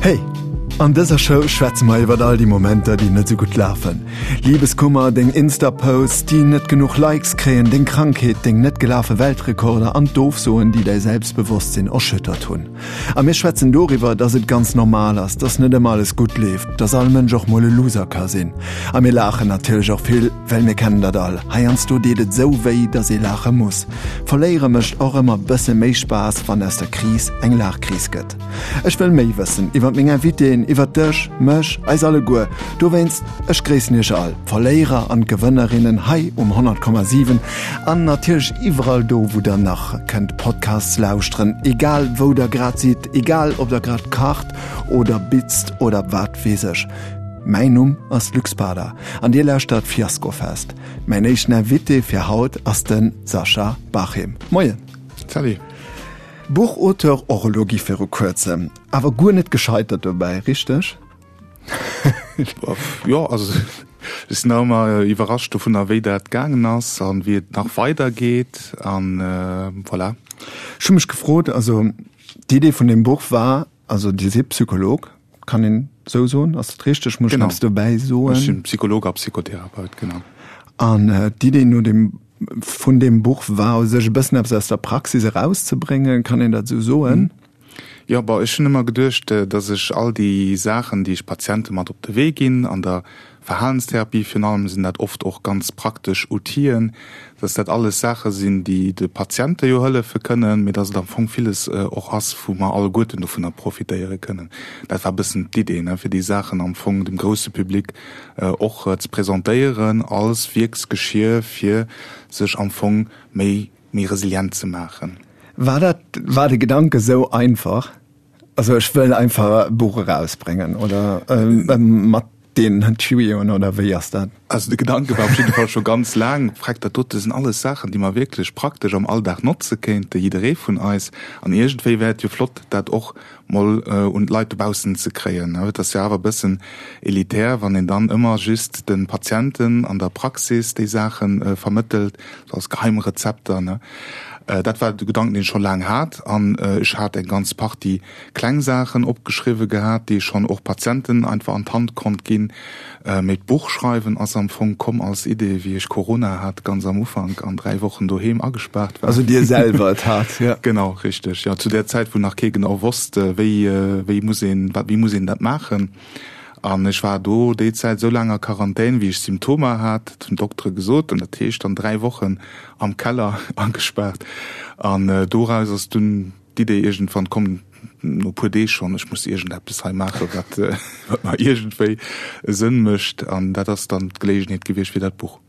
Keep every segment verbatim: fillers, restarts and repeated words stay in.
Hey! An dëser Show schwätze mer iwwert all déi Momenter, déi net sou gutt lafen. Libeskummer, deng Insta-Posts, déi net genuch Likes kréien, deng Krankheet, deng net gelafe Weltrekorder an d'Ofsoen, déi däi Selbstbewosstsinn erschüttert hunn. A mir schwätzen doriwwer, dass et ganz normal ass, dass net ëmmer alles gutt leeft, dass all Mënsch och mol e Loser ka sinn. A mir laachen natierlech och vill, well mir kennen dat all, heiansdo deet et sou wéi, dass ee laache muss. Verléiere mécht och ëmmer bësse méi Spaass, wann aus der Kris eng Laachkris gëtt. Ech wëll méi wëssen iwwer meng Invitéen, iwwer dech, mech, eis alleguer. Dowéinst, ech gréissen iech all, d'Verléierer an d'Gewënnerinnen hei um honnert Komma siwen an natierlech iwwerall do, wou der nach kënnt Podcasts lauschteren, egal wou der grad sidd, egal ob der grad kacht oder bitzt oder wat weess ech. Mäin Numm ass Luc Spada an dir lauschtert Fiaskofest. Mäin éischten Invité fir haut ass de Sascha Bachim. Moien. Salut. Buchauteur och elo gi viru kuerzem, awer guer net gescheitert dobäi, richteg? Jo, also ech sinn nach ëmmer iwwerrascht dovunner, wéi dat gaangen ass an wéi et nach weidergeet an voilà. Ech hu mech gefrot, also d'Idee vun deem Buch war, also Dir sidd Psycholog, kann een esou soen, ass dat richteg? Muss ech nach eppes dobäi soen? Ech sinn Psycholog a Psychotherapeut, genau. An d'Idee no deem vun deem Buch war u sech e bëssen eppes aus der Praxis erauszebréngen, kann een dat esou soen? Jo, bon, ech hunn ëmmer geduecht, datt ech all déi Saachen, déi ech Patiente mat op de Wee ginn, an der Verhalenstherapie virun allem sinn dat oft och ganz praktesch Outiller, datt dat alles Saache sinn, déi de Patiente jo hëllefe kënnen, mee datt et am Fong villes och ass, wou mer alleguerten dovunner profitéiere kënnen. Dat war e bëssen d'Idee, ne, fir déi Saachen am Fong dem grousse Public och ze presentéieren als Wierksgeschir fir sech am Fong méi méi resilient ze maachen. War dat, war de Gedanke sou einfach, also ech wëll einfach e Buch erausbréngen oder mat den Tuyauxen oder wéi ass dat? Also de Gedanke war op jidde Fall scho ganz laang, Freck, dat dote sinn alles Saachen, déi mer wierklech praktesch am Alldag notze kéinte, jidderee vun eis. An iergendwéi wär et jo flott, dat och mol un d'Leit dobaussen ze kréien. Et ass jo awer e bëssen elitär, wann een dann ëmmer just de Patienten an der Praxis déi Saache vermëttelt, sou als Geheimrezepter. Dat war de Gedanken, deen ech scho laang hat. An ech hat eng ganz Partie kleng Saachen opgeschriwwe gehat, déi ech schonn och Patienten einfach an d'Hand konnt ginn. Mee d'Buch schreiwen ass am Fong komm als Idee, wéi ech Corona hat, ganz am Ufank, an dräi Wochen doheem agespaart war. Also Dir selwer et hat, jo. Genau, richteg, jo. Zu där Zäit, wou nach kee genau wosst, wéi, wéi muss een, wat, wéi muss een dat maachen. An ech war do déi Zäit esou laang a Quarantän, wéi ech Symptomer hat, dat hunn d'Doktere gesot, an dat heescht dann dräi Wochen am Keller agespaart. An doraus ass dunn d'Idee iergendwann komm, no e puer Deeg schonn, ech muss iergendeppes hei maachen, wat wat mer iergendwéi Sënn mécht. An dat ass dann d'Geleegenheet gewiescht fir dat Buch.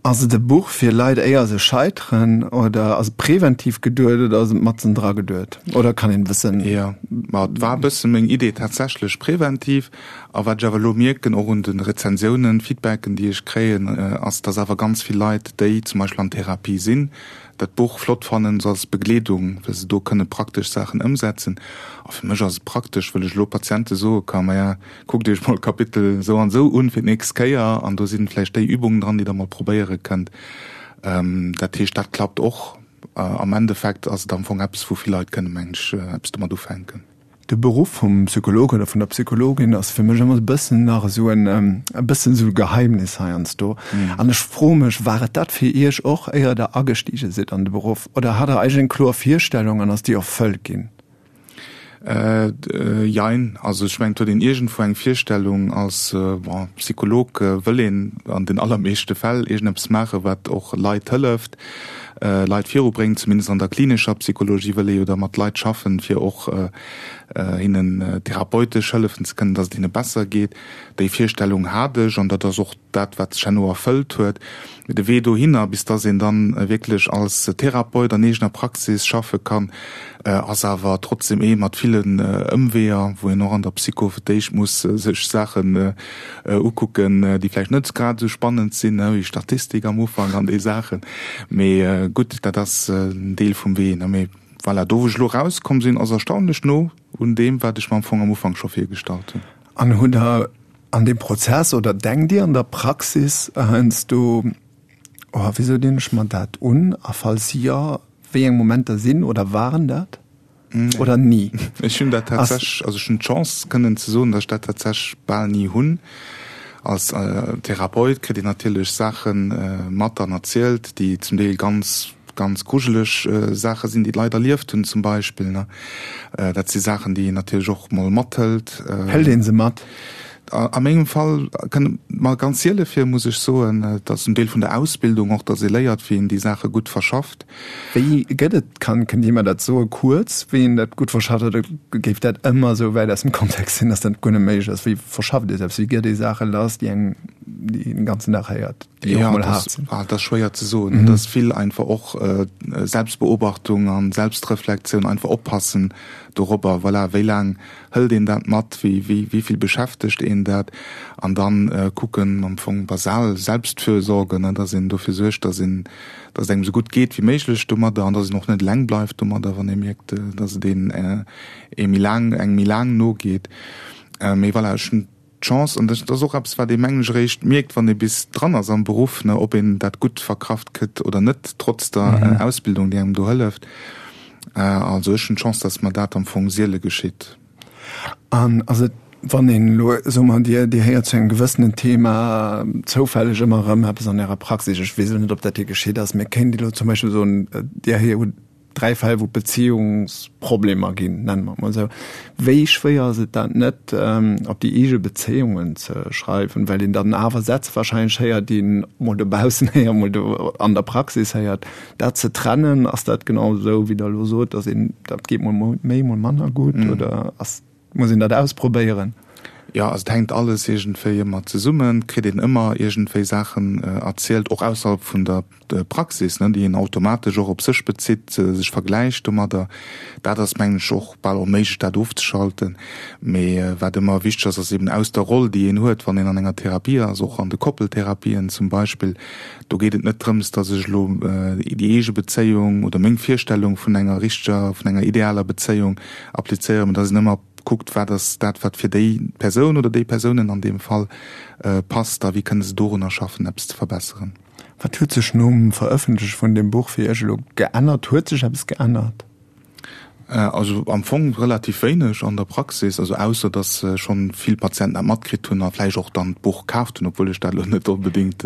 Ass et e Buch fir Leit éier se scheiteren oder ass et präventiv geduet oder ass et matzen dra geduet oder kann een e bëssen. Jo, ma et war e bësse meng Idee tatsächlech präventiv. A wat ech awer elo mierken, och un de Rezensiounen, Feedbacken déi ech kréien, ass, dass awer ganz vill Leit, déi zum Beispill an Therapie sinn, dat Buch flott fannen, sou als Begleedung, well se do kënne praktesch Saachen ëmsetzen. A fir mech ass et praktesch, wëll ech elo Patiente soe ka, Maja, kuckt Iech mol Kapitel esou an esou un fir d'nächst Kéier an do sinn vläicht déi Übungen dran, déi Der mol probéiere kënnt. Dat heescht, dat klappt och. Am Endeffekt ass et am Fong eppes, wou vill Leit kënnen, mengen ech, eppes domat ufänken. De Beruff vum Psycholog oder vun der Psychologin ass fir mech ëmmer e bëssen nach esou en, e bëssen esou e Geheimnis heiansdo. An ech froe mech, war et dat fir Iech och, éier Der agestige sidd an de Beruff, oder hat Der eigentlech eng kloer Virstellung an ass déi erfëllt ginn? Jein. Also ech mengen, et huet een iergendwou eng Virstellung. Als, bon, Psycholog wëll een an den allermeeschte Fäll iergendeppes maachen, wat och Leit hëlleft. Leit virubréngt, zumindest an der klinescher Psychologie wëll ee jo da mat Leit schaffen, fir och hinnen therapeutesch hëllefen ze kënnen, datt et hinne besser geet. Déi Virstellung hat ech an dat ass och dat, wat sech herno erfëllt huet. Mee de Wee dohinner, bis datt een dann wierklech als Therapeut an eegener Praxis schaffe kann, ass awer trotzdem ee mat villen Ëmweeër, wou een och an der Psycho fir d'éischt muss sech Saachen ukucken, déi vläicht net grad esou spannend sinn, wéi Statistik am Ufank an déi Saachen. Mee gutt, dat ass en Deel vum Wee. Mee voilà, do wou ech elo erauskomm sinn, ass erstaunlech no un deem, wat ech mer am Fong am Ufank scho virgestallt hunn. An hutt Der an deem Prozess oder denkt Dir an der Praxis heiansdo, Oh, wisou dinn ech mer dat un? A falls jo, wéi eng Momenter sinn oder waren dat? Oder ni? Ech hunn dat tatsächlech, also ech hunn d'Chance kënnen ze soen, datt ech dat tatsächlech bal ni hunn. Als Therapeut kritt een natierlech Saache mat an erzielt, déi zum Deel ganz, ganz grujeleg Saache sinn, déi d'Leit erlieft hunn zum Beispill. Dat si Saachen, déi een natierlech och mol mathëlt. Hëlt ee se mat? A mengem Fall kënnt et mer ganz siele vir, muss ech soen. Et ass en Deel vun der Ausbildung och, datt ee léiert, wéi een déi Saache gutt verschafft. Wéi gëtt et, kann, kënnt Dir mer dat soen, kuerz, wéi een dat gutt verschafft, oder géif dat ëmmer esou wäit aus dem Kontext sinn, datt dat guer net méiglech ass? Wéi verschafft ee selbst, wéi gëtt ee Saache lass, déi eng, déi een den ganzen Dag héiert, déi och mol haart sinn? Jo, dat ass schwéier ze soen. Et ass vill einfach och Selbstbeobachtung an Selbstreflektioun, einfach oppassen dorobber, voilà, wéi laang hëlt een dat mat, wéi, wéi, wéi vill beschäftegt een dat, an dann kucken am Fong basal Selbstfürsorge, ne, dass een dofir suergt, dass een, dass et engem esou gutt geet wéi méiglech domadder an dass een och net eleng bleift domadder, wann ee mierkt, dass et een ee méi laang, engem méi laang nogeet. Mee voilà, ech hunn d'Chance, an dat ass och eppes, wat ee mengen ech eréischt mierkt, wann ee bis dran ass am Beruff, ne, ob een dat gutt verkraft kritt oder net, trotz der Ausbildung, déi engem do hëlleft. Also ech hunn d'Chance, dass mer dat am Fong siele geschitt. An ass et, wann een elo, soe mer, Dir, Dir héiert zu engem gewëssenen Thema zoufälleg ëmmer erëm eppes an Ärer Praxis, ech weess elo net, ob dat hir geschitt ass, mä kéint Dir elo zum Beispill soen, Dir hutt dräi Fäll, wou Beziehungsproblemer ginn, nenne mer et mol esou, wéi schwéier ass et dat net op déi eege Bezéiungen ze schreiwen, well een dann awer Sätz wahrscheinlech héiert, déi een mol dobaussen héiert, mol do an der Praxis héiert. Dat ze trennen, ass dat genau esou, wéi Der elo sot, dass een, dat geet mol méi, mol manner gutt, oder ass, muss een dat ausprobéieren? Jo, also et hänkt alles iergendwéi ëmmer zesummen, et kritt een ëmmer iergendwéi Saachen erzielt, och ausserhalb vun der Praxis, ne, déi een automatesch och op sech bezitt, sech vergläicht domadder. Dat ass, mengen ech, och bal onméiglech, dat ofzeschalten. Mee wat ëmmer wichteg ass, ass eben aus der Roll, déi een huet, wann een an enger Therapie ass, och an de Koppeltherapien zum Beispill, do geet et net drëms, datt ech elo déi eege Bezéiung oder meng Virstellung vun enger richteger, vun enger idealer Bezéiung applizéieren, mee datt een ëmmer kuckt, wat ass dat, wat fir déi Persoun oder déi Persounen an deem Fall passt a wéi kënne se dorunner schaffen, eppes ze verbesseren. Wat huet sech nom Verëffentleche vun deem Buch fir Iech elo geännert? Huet sech eppes geännert? Also am Fong relativ wéineg an der Praxis, also ausser datt schonn vill Patienten dat matkritt hunn a vläicht och dann d'Buch kaaft hunn, obwuel ech dat elo net onbedéngt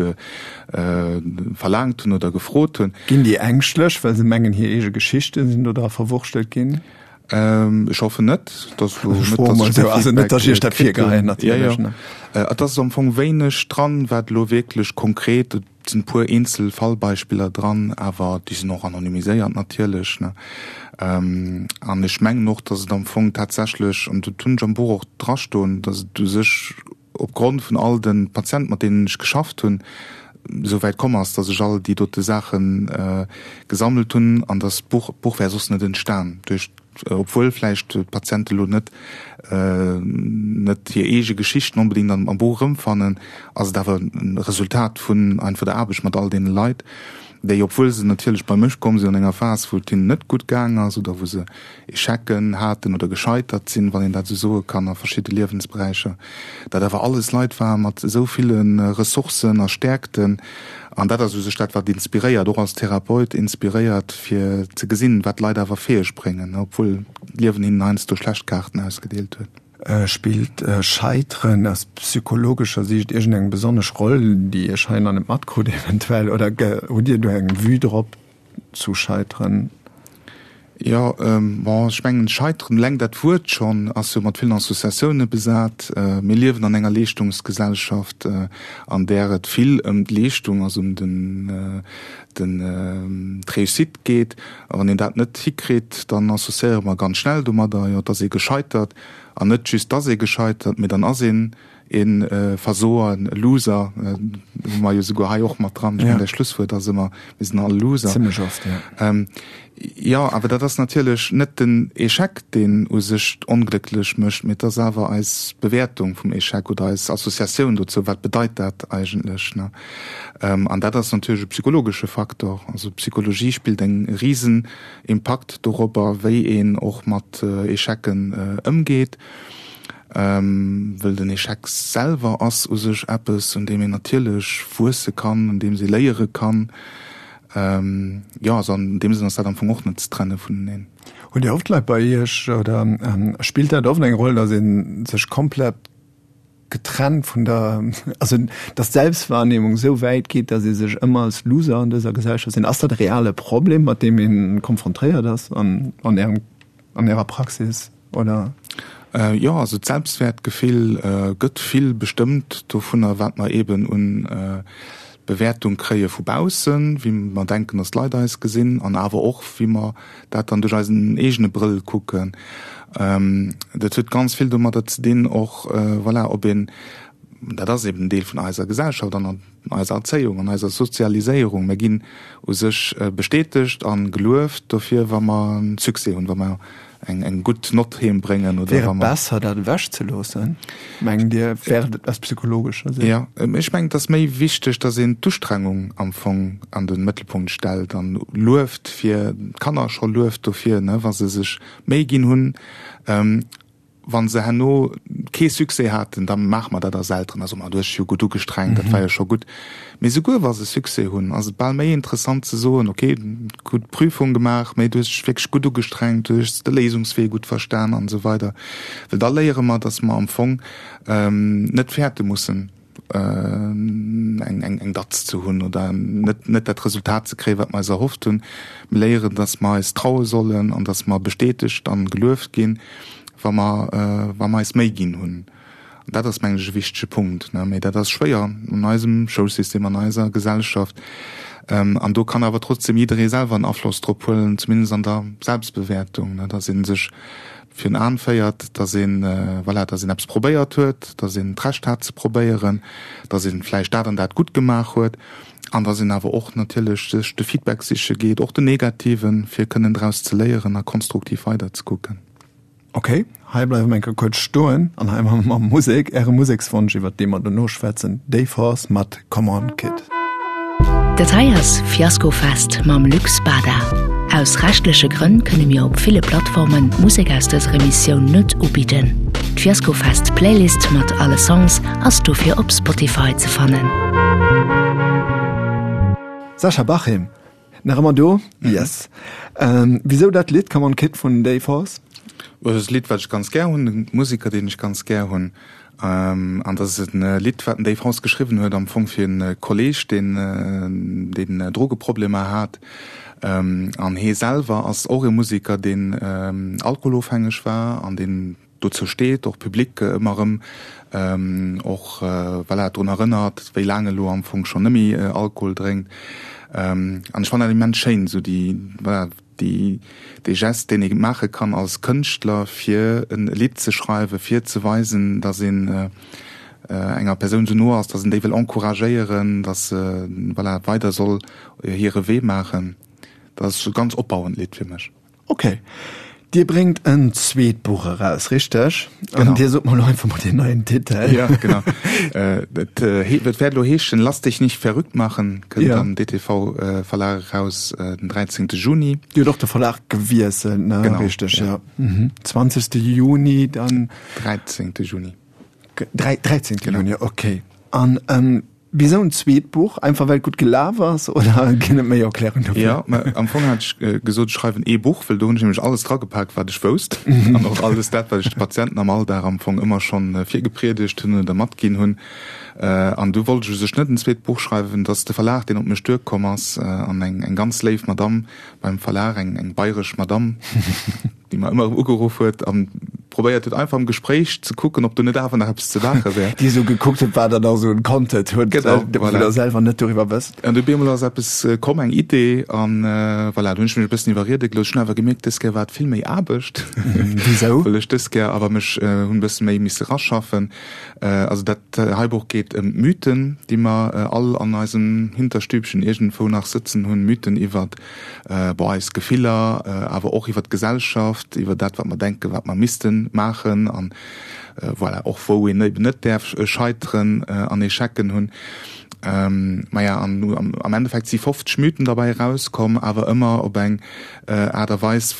verlaangt hunn oder gefrot hunn. Ginn déi ängschtlech, well se mengen, hir eege Geschichte sinn do dra verwurschtelt ginn? Ech hoffen net, dass elo net, dass ech dee Also net, dass ech Iech dat Feedback virgeheien, kritt hunn. natierlech, ne. Jo, jo. Et ass am Fong wéineg dran, wat elo wierklech konkret, et sinn e puer eenzel Fallbeispiller dran, awer déi sinn och anonymiséiert natierlech, ne. An ech mengen och, dass et am Fong tatsächlech, an dat hunn ech am Buch och drastoen, dass et u sech opgrond vun all de Patienten, mat deenen ech geschafft hunn, esou wäit komm ass, dass ech all déi dote Saache gesammelt hunn an dass d'Buch, d'Buch wär soss net entstan duerch, obwuel vläicht d'Patiente lo net net hir eege Geschichten onbedéngt am am Buch erëmfannen, ass et awer e Resultat vun einfach der Aarbecht mat all deene Leit, déi, obwuel se natierlech bei mech komm sinn an enger Phas, wou et hinnen net gutt gaang ass oder wou se Echecken haten oder gescheitert sinn, wann een dat esou soe kann, a verschidde Liewensberäicher, dat awer alles Leit ware mat esou ville Ressourcen a Stäerkten. An dat ass u sech dat, wat inspiréiert, och als Therapeut inspiréiert, fir ze gesinn, wat d'Leit awer fäeg bréngen, obwuel d'Liewen hinnen heiansdo schlecht Kaarten ausgedeelt huet. Spillt Scheiteren aus psychologescher Siicht iergendeng besonnesch Roll, déi Iech hei nach net matkrut eventuell, oder hutt Dir do eng Vue drop zu Scheiteren? Jo, bon, ech mengen, Scheiteren, eleng dat Wuert schonn ass jo mat villen Associatioune besat. Mir liewen an enger Leeschtungsgesellschaft, an där et vill ëm d'Leeschtung, also ëm den, den, d'Réussite geet. A wann een dat net hikritt, dann associéiere mer ganz schnell domadder, jo, et ass ee gescheitert. An net just, dass ee gescheitert, mee dann ass een e Versoer, e Loser, hu mer jo souguer hei och mat dran. Ech mengen, däi Schlusswuert ass ëmmer, mir sinn all Loser. Zimmlech oft, jo. Jo, awer dat ass natierlech net den Echec, deen u sech onglécklech mécht, mee et ass awer eis Bewäertung vum Echec oder eis Associatioun dozou, wat bedeit dat eigentlech, ne? An dat ass natierlech e psychologesche Faktor. Also d'Psychologie spillt eng risen Impakt dorobber, wéi een och mat Echecen ëmgeet, wëll den Echec selwer ass u sech eppes, un deem een natierlech wuesse kann, un deem ee léiere kann. Jo, also an deem Sënn ass dat am Fong och net ze trenne vuneneen. Hutt Dir oft Leit bei Iech oder spillt dat oft eng Roll, datt ee sech komplett getrennt vun der, also datt d'Selbstwahrnehmung esou wäit geet, datt ee sech ëmmer als Loser an dëser Gesellschaft sinn? Ass dat e reale Problem, mat deem ee konfrontéiert ass an Ärem, an Ärer Praxis, oder? Jo, also d'Selbstwäertgefill gëtt vill bestëmmt dovunner, wat mer eeben un Bewäertung kréie vu baussen, wéi mer denken, datt d'Leit eis gesinn, an awer och, wéi mer dat dann duerch eisen eegene Brëll kucken. Dat huet ganz vill domadder ze dinn och, voilà, ob een, dat ass eben en Deel vun eiser Gesellschaft an an eiser Erzéiung, an eiser Sozialiséierung, mir ginn u sech bestätegt a gelueft dofir, wa mer e Succès hunn, wa mer eng eng gutt Nott heem bréngen oder Wär et besser dat ewech ze loossen, mengt Dir, wär et aus psychologescher Sicht? Jo, ech mengen et ass méi wichteg, datt een d'Ustrengung am Fong an de Mëttelpunkt stellt an lueft fir d'Kanner scho lueft dofir, ne, wa se sech Méi ginn hunn. Wa se herno kee Succès haten, da maache mer dat als Elteren, da soe mer, du hues dech jo gutt ugestrengt, dat war jo scho gutt. Mee souguer wa se Succès hunn, ass et bal méi interessant ze soen, ok, gutt Prüfung gemaach, mee du hues dech wierklech gutt ugestrengt, du hues de Léisungswee gutt verstan an esou weider. Well da léiere mer, datt mer am Fong net fäerte mussen, eng eng Datz ze hunn oder net net dat Resultat ze kréien, wat mer eis erhofft hunn. Mir léieren, datt mer eis traue sollen an datt mer bestätegt an gelueft ginn, wa mer wa mer eis Méi ginn hunn. An dat ass, mengen ech, e wichtege Punkt. Mee dat ass schwéier an eisem Schoulsystem, an eiser Gesellschaft. An do kann awer trotzdem jidderee selwer en Afloss drop huelen, zumindest an der Selbstbewäertung, datt ee sech virun Aen féiert, datt een, voilà, datt een eppes probéiert huet, datt een d'Recht hat ze probéieren, datt een vläicht dat an dat gutt gemaach huet an datt een awer och natierlech sech de Feedback siche geet, och den negativen, fir kënnen draus ze léieren a konstruktiv weiderzekucken. Ok, hei bleiwe mer eng Kéier kuerz stoen an hei maache mer Musek. Äre Musekswonsch, iwwert dee mer dono schwätzen, Dave Horse mat Come On Kid. Dat hei ass Fiaskofest mam Luc Spada. Aus rechtleche Grënn kënne mir op ville Plattformen d'Musek aus dëser Emissioun net ubidden. D'Fiaskofest Playlist mat alle Songs ass dofir op Spotify ze fannen. Sascha Bachim, nach ëmmer do? Yes. Wisou dat Lidd Come On Kid vun Dave Horse? Dat ass e Lidd, wat ech ganz gär hunn, e Museker, deen ech ganz gär hunn. An dat ass e Lidd, wat den Dave Horse geschriwwen huet am Fong fir e Kolleeg, deen deen Drogeproblemer hat. An hee selwer ass och e Museker, deen alkoholofhängeg war an deen dozou steet, och public ëmmer erëm och voilà drun erënnert, wéi laang e lo am Fong schonn net méi Alkohol drénkt. An ech fannen dat immens schéin, esou déi voilà déi dee Gest, deen ee maache kann als Kënschtler, fir e Lidd ze schreiwen, fir ze weisen, datt een enger Persoun esou no ass, datt een déi wëll encouragéieren, datt se voilà weider soll hire Wee maachen. Dat ass e ganz opbauend Lidd fir mech. Ok. Dir bréngt en zweet Buch eraus, richteg? Genau. An Dir sot mer elo einfach mol deen neien Titel. Ja, genau. Et wäert elo heeschen Lass dich nicht verrückt machen, kënnt am D T V Verlag eraus den dräizéngte Juni. Dir hutt och de Verlag gewiesselt, ne? Genau. Richteg, ja. Zwanzegste Juni dann. Dräizéngte Juni. Dräizéngte Juni, ok. An wisou en zweet Buch? Einfach well et gutt gelaf ass oder ginn et méi Erklärungen dofir? Jo, mä am Fong hat ech gesot, ech schreiwen ee Buch, well do hunn ech nämlech alles dragepak, wat ech wousst an och alles dat, wat ech de Patienten am Alldag am Fong ëmmer schonn virgepriedegt hunn oder matginn hunn. An du wollt ech u sech net en zweet Buch schreiwen. Et ass de Verlag, deen op mech duerkomm ass an eng eng ganz léif Madamm beim Verlag, eng eng bayresch Madamm, déi mer ëmmer erëm ugeruff huet an probéiert huet einfach am Gespréich ze kucken, ob do net awer nach eppes ze maache wär. Déi esou gekuckt huet, wat der da esou un Content huet, Genau, wou voilà. der selwer net doriwwer wësst. An du op eemol ass eppes komm, eng Idee an voilà, du hunn ech mech e bëssen iwwerriede gelooss. Ech hunn awer gemierkt, dës Kéier war et vill méi Aarbecht, Wisou? well ech dës Kéier awer mech hunn e bësse méi misse raschaffen. Also dat hei Buch geet ëm d'Mythen, déi mer all an eisem Hinterstübchen iergendwou nach sëtzen hunn, Mythen iwwert bon, eis Gefiller, awer och iwwer d'Gesellschaft, iwwer dat, wat mer denken, wat mer misste maachen an voilà, och wou een eben net däerf scheiteren an Echecken hunn. Maja, an am Endeffekt si fofzeg Mythen derbäi erauskomm, awer ëmmer op eng Aart a Weis,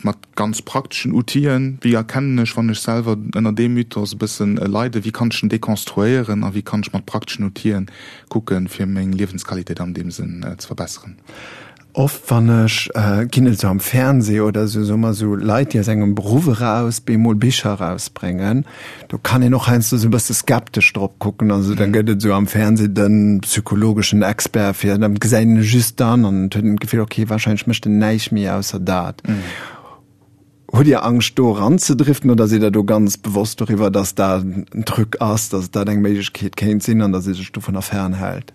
mat ganz prakteschen Outilen, wéi erkennen ech, wann ech selwer ënner deem Mythos e bëssen leiden, wéi kann ech en dekonstruéieren a wéi kann ech mat prakteschen Outilen kucken, fir meng Liewensqualitéit an deem Sënn ze verbesseren. Oft wann ech, ginn et esou am Fernseh oder esou, soe mer esou Leit, déi aus engem Beruff eraus bemol Bicher erausbréngen, do kann een och heiansdo esou e bësse skeptesch drop kucken. Also da gëtt et esou am Fernseh de psychologeschen Expert fir, da gesäit een e just dann an et huet een d'Gefill, okay, wahrscheinlech mécht en näischt méi ausser dat. Hutt Dir Angscht do eranzedriften oder sidd Der do ganz bewosst doriwwer, datt dat en Truc ass, datt dat eng Méiglechkeet kéint sinn an datt ee sech dovunner fernhält?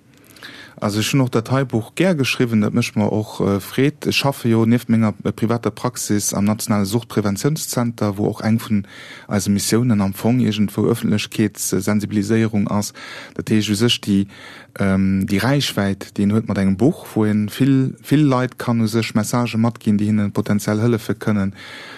Also ech hunn och dat hei Buch gär geschriwwen, dat mécht mer och Freed. Ech schaffe jo nieft menger privater Praxis am nationale Suchtpräventiounszenter, wou och eng vun eise Missiounen am Fong iergendwou Ëffentlechkeetssensibiliséierung ass. Dat heescht u sech déi déi Räichwäit, déi een huet mat engem Buch, wou ee vill vill Leit kann u sech Messagë matginn, déi hinne potenziell hëllefe kënnen,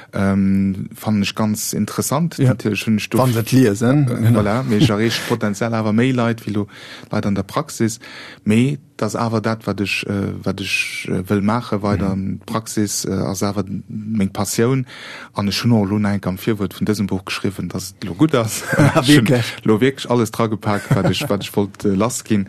fannen ech ganz interessant. Natierlech hunn ech do. Wann se et liesen. Voilà, mee ech erreeche potenziell awer méi Leit wéi elo Leit an der Praxis. Mee et ass awer dat, wat ech, wat ech wëll maache weider. D'Praxis ass awer meng Passioun. An ech hunn och elo nach eng Kéier am Virwuert vun dësem Buch geschriwwen, dass et elo gutt ass. Ech hunn elo wierklech alles dragepak, wat ech, wat ech wollt lassginn.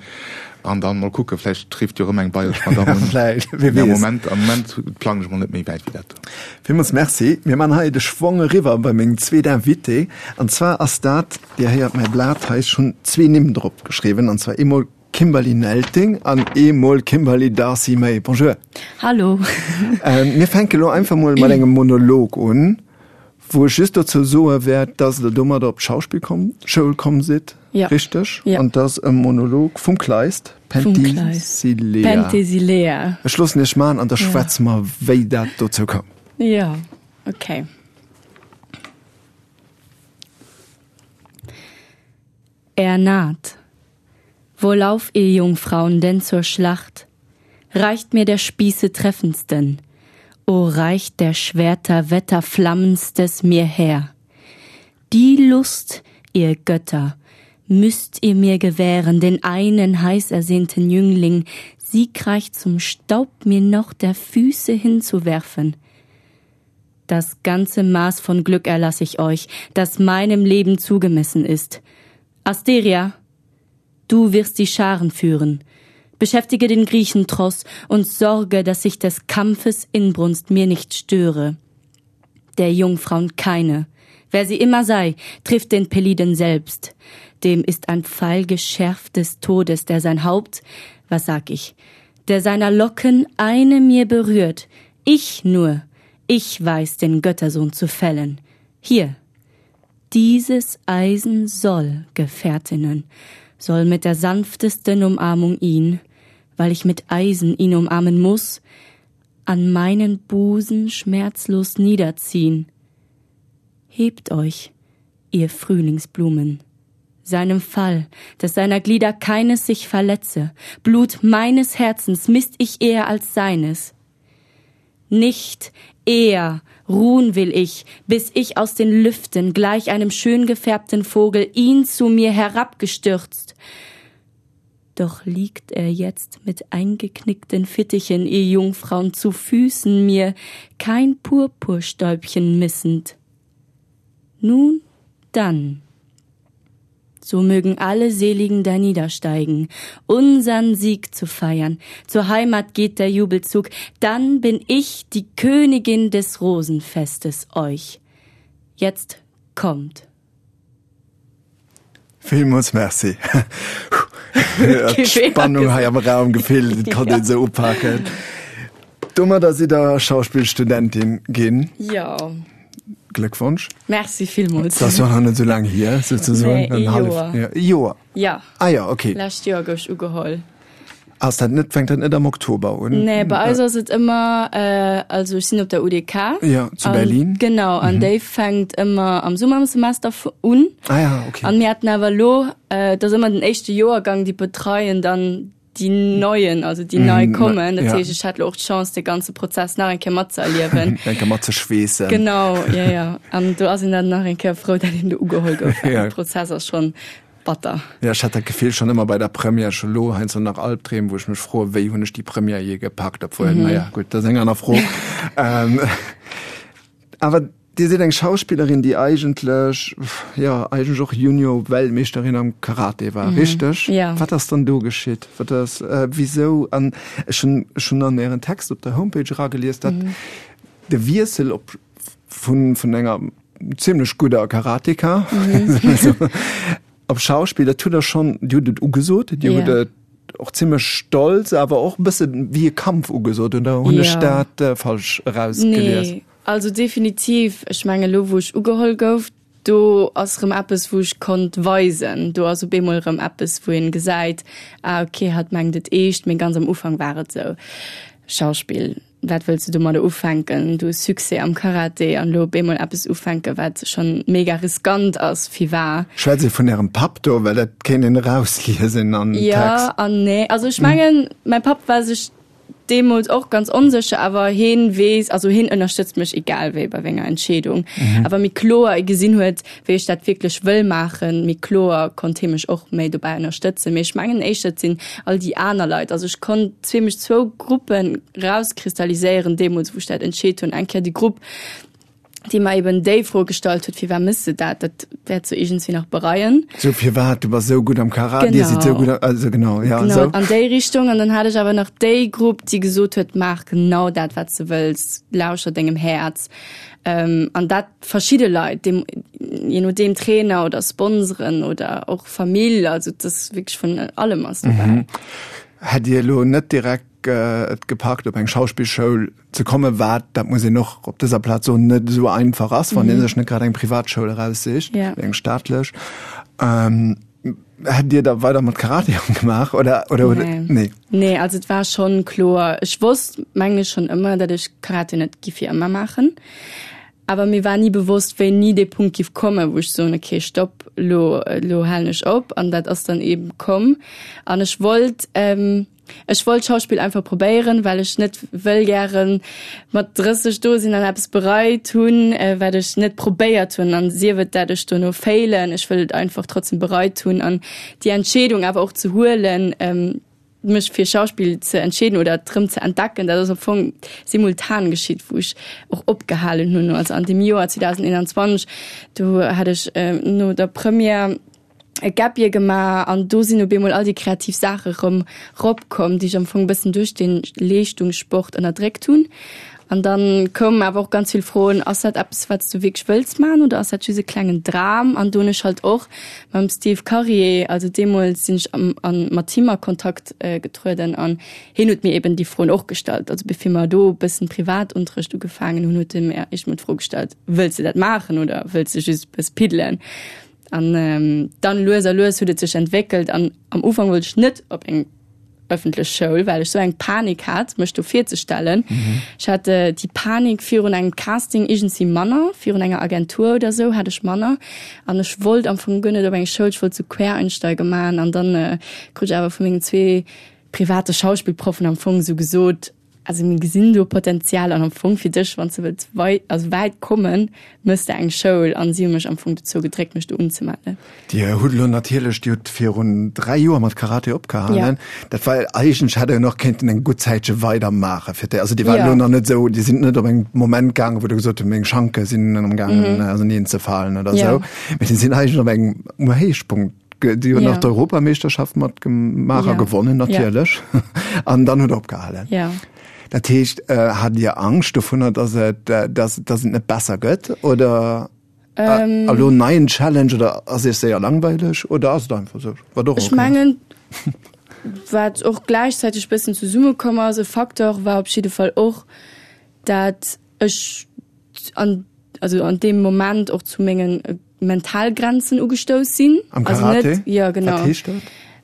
An dann mol kucken, vläicht rifft jo erëm eng bayresch Madamm un. Vläicht, wie weess. Am Moment, am Moment plangen ech mol net méi wäit wéi dat do. Villmools Merci. Mir man hei de Schwong eriwwer bei meng zweet Invitée. An zwar ass dat, Dir héiert mäi Blat hei, ech hunn zwee Nimm drop geschriwwen, an zwar eemol Kimberly Nelting an eemol Kimberly Darcy May. Bonjour. Hallo. Mir fänke lo einfach mol mat engem Monolog un, wou ech just dozou soe wäert, dass Der domadder op d'Schauspillschoul komm sidd, richteg? Ja. An dass e Monolog vum Kleist, Penthesilea. Penthesilea. Ech loossen Iech maachen an da schwätze mer, wéi dat dozou koum. Jo, okay. Er naht. Wohlauf, ihr Jungfrauen, denn zur Schlacht! Reicht mir der Spieße treffendsten, o reicht der Schwerter wetterflammendstes mir her! Die Lust, ihr Götter, müßt ihr mir gewähren, den einen heißersehnten Jüngling siegreich zum Staub mir noch der Füße hinzuwerfen. Das ganze Maß von Glück erlass ich euch, das meinem Leben zugemessen ist. Asteria, du wirst die Scharen führen. Beschäftige den Griechentross und sorge, dass sich des Kampfes Inbrunst mir nicht störe. Der Jungfrauen keine, wer sie immer sei, trifft den Peliden selbst. Dem ist ein Pfeil geschärft des Todes, der sein Haupt, was sag ich, der seiner Locken eine mir berührt, ich nur, ich weiß den Göttersohn zu fällen. Hier, dieses Eisen soll, Gefährtinnen, soll mit der sanftesten Umarmung ihn, weil ich mit Eisen ihn umarmen muß, an meinen Busen schmerzlos niederziehen. Hebt euch, ihr Frühlingsblumen, seinem Fall, dass seiner Glieder keines sich verletze, Blut meines Herzens mißt ich eher als seines. Nicht eher ruhen will ich, bis ich aus den Lüften gleich einem schön gefärbten Vogel ihn zu mir herabgestürzt. Doch liegt er jetzt mit eingeknickten Fittichen, ihr Jungfrauen, zu Füßen mir, kein Purpurstäubchen missend. Nun dann, so mögen alle Seligen darniedersteigen, unsern Sieg zu feiern. Zur Heimat geht der Jubelzug, dann bin ich die Königin des Rosenfestes euch. Jetzt kommt. Villmools Merci. D'Spannung hei am Raum gefillt, et konnt een se upaken. Domadder sidd Der Schauspillstudentin ginn. Jo. Gléckwonsch. Merci villmools. Dat ass jo nach net esou laang hier, souzesoen. Nee, ee Joer. Ee Joer? Ja. Ah jo, okay. Lescht Joer gouf ech ugeholl. Ass dat net, fänkt dat net am Oktober un? Nee, bei eis ass et ëmmer, also ech sinn op der U D K. Ja, zu Berlin. Genau, an déi fänkt ëmmer am Summersemester un. Ah ja, okay. An mir haten awer elo, et ass ëmmer den éischte Joergang, déi betreien dann déi Neien, also déi nei kommen. Dat heescht, ech hat elo och d'Chance, de ganze Prozess nach eng Kéier matzeerliewen. Eng Kéier matzeschweessen. Genau, jo, jo. An do ass een dann nach eng Kéier frou, datt een do ugeholl gouf, well de Prozess ass schonn batter. Jo, ech hat dat Gefill schonn ëmmer bei der Première, ech hu lo heiansdo nach Albdreem, wou ech mech froen, wéi hunn ech déi Première jee gepackt, obwuel, naja, gutt, dat ass eng aner Fro. Awer Dir sidd eng Schauspillerin, déi eigentlech, jo, eigentlech och Junior-Weltmeeschterin am Karate war, richteg? Ja. Wat ass dann do geschitt? Wat ass, wisou? An ech hunn, ech hunn an Ären Text op der Homepage eragelies, datt de Wiessel op vun, vun enger zimlech gudder Karateka op Schauspill, dat hutt Der schonn, Dir hutt et ugesot, Dir hutt et och zimlech stolz, awer och e bësse wéi e Kampf ugesot, oder hunn ech dat falsch erausgelies? Nee. Also definitiv, ech mengen elo wou ech ugeholl gouf, do ass erëm eppes wou ech konnt weisen, do ass op eemol erëm eppes wou een gesäit, ah ok hatt mengt et eescht, mee ganz am Ufank war et esou, Schauspill, wat wëlls de domadder ufänken, du hues Succès am Karate an elo op eemol eppes ufänken wat schonn mega riskant ass, firwar? Schwätzt Dir vun Ärem Papp do, well dat kéint een erausliesen am Text. Jo an nee, also ech mengen mäi Papp war sech deemools och ganz onsécher, awer heen weess, also heen ënnerstëtzt mech egal wéi bei menger Entscheedung. Mhm. Awer méi kloer e gesinn huet, wéi ech dat wierklech wëll maachen, méi kloer konnt hee mech och méi dobäi ënnerstëtzen. Mee ech mengen éischter, et sinn all déi aner Leit. Also ech konnt zimmlech zwou Gruppen rauskristalliséieren deemools, wou ech dat entscheet hunn. Eng Kéier déi Grupp, déi mer eben déi Fro gestallt huet, firwat mëss de dat, dat wäerts du iergendswéi nach bereien. Sou, firwat, du bass esou gutt am Karate, dir sidd esou gutt am, also genau, ja, Genau, esou. an déi Richtung. An dann hat ech awer nach déi Grupp, déi gesot huet, maach genau dat, wat s de wëlls, lauschter dengem Häerz. An dat verschidde Leit, deem, je nodeem Trainer oder Sponsoren oder och Famill, also et ass wierklech vun allem ass dobäi. Hätt Dir elo net direkt et gepackt op eng Schauspillschoul ze kommen, wat, dat muss een och op dëser Plaz soen, net esou einfach ass, wann ee sech net grad eng Privatschoul eraussicht, mee eng staatlech. Hätt Dir da weider mat Karate gemaach oder, oder hutt Nee. Nee. Nee, also et war schonn kloer, ech wosst, mengen ech, schonn ëmmer, datt ech Karate net giff fir ëmmer maachen. Awer mir war ni bewosst, wéini dee Punkt giff kommen, wou ech soen, okay, stopp, elo, elo halen ech op. An dat ass dann eeben komm. An ech wollt, ech wollt Schauspill einfach probéieren, well ech net wëll gären mat drësseg do sinn an eppes bereit hunn, wat ech net probéiert hunn. An sief et, dat ech dono failen, ech wëll et einfach trotzdem bereit hunn. An déi Entscheedung awer och ze huelen, mech fir Schauspill ze entscheeden oder et rëm ze entdecken, dat ass am Fong simultan geschitt, wou ech och opgehalen hunn. Also an deem Joer zweedausendeenanzwanzeg, do hat ech no der Première e Gap Year gemaach an do sinn op eemol all déi kreativ Saache rëm ropkomm, déi ech am Fong e bëssen duerch de Leeschtungssport ënnerdréckt hunn. An dann koumen awer och ganz vill Froen, Ass dat eppes, wat s du wierklech wëlls maachen oder ass dat just e klengen Dram? An do hunn ech halt och mam Steve Karier, also deemools sinn ech am, an, mat him a Kontakt getrueden an hien huet mir eben déi Froen och gestallt. Also bevir mer do e bëssen Privatunterrecht ugefaangen hunn, huet e mir éischt mol d'Fro gestallt, Wëlls de dat maachen oder wëlls de just e bëss piddelen? An dann lues a lues huet et sech entwéckelt an am Ufank wollt ech net op eng ëffentlech Schoul, well ech sou eng Panik hat, mech do virzestellen. Ech hat déi Panik virun engem Casting iergendwéi manner, virun enger Agentur oder sou hat ech manner. An ech wollt am Fong guer net op eng Schoul, ech wollt sou Quereinsteiger maachen. An dann krut ech awer vu mengen zwee private Schauspillproffen am Fong sou gesot, Also mir gesinn do Potenzial an am Fong fir dech, wann s de wëlls wei also wäit kommen, mëss de eng Schoul. An si hu mech am Fong dozou gedréckt, mech do unzemellen. Dir hutt elo natierlech, Dir hutt virun dräi Joer mat Karate opgehalen. Ja. Dat war eigentlech, hätt Der jo nach kéinten eng gutt Zäitche weidermaachen fir d'É also Dir waart Ja. elo nach net esou, Dir sidd net op eng Moment gaangen, wou Der gesot hutt, meng Schanke sinn amgaangen auserneenzefalen oder Ja. esou, mee Dir sidd eigentlech op engem um Héichpunkt. Déi hunn Ja. nach d'Europameeschterschaft mat gemaach a Ja. gewonnen natierlech. Ja. An dann huet der opgehalen. Ja. Dat heescht, äh, hat Dir Angscht dovunner, dass et, äh, dass, dass et net besser gëtt oder Ähm. elo en neien Challenge oder ass Iech séier langweileg oder ass et einfach esou, wat och Ech okay ass? mengen, wat och gläichzäiteg bëssen zesummekomm ass, e Facteur war op jidde Fall och, dat ech an also an deem Moment och zu mengen Mentalgrenzen ugestouss sinn. Am Also Karate? net, ja genau. Wat heescht dat?